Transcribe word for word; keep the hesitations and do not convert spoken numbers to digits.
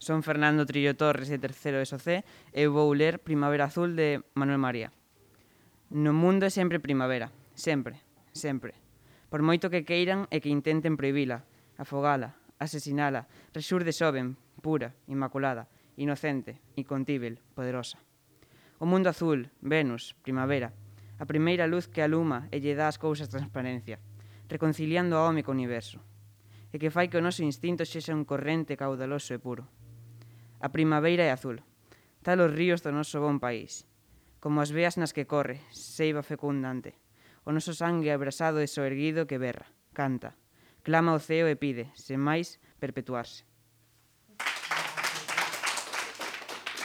Son Fernando Trillo Torres de terceiro S O C e eu vou ler Primavera Azul de Manuel María. No mundo é sempre primavera, sempre, sempre. Por moito que queiran e que intenten prohibila, afogala, asesinala, resurde xoven, pura, inmaculada, inocente, incontível, poderosa. O mundo azul, Venus, primavera, a primeira luz que aluma e lle dá as cousas transparencia, reconciliando a home co universo, e que fai que o noso instinto sexa un corrente caudaloso e puro. A primavera é azul, tal os ríos do noso bon país, como as veas nas que corre, seiva fecundante, o noso sangue abrasado e soerguido que berra, canta, clama ao ceo e pide, sen máis, perpetuarse.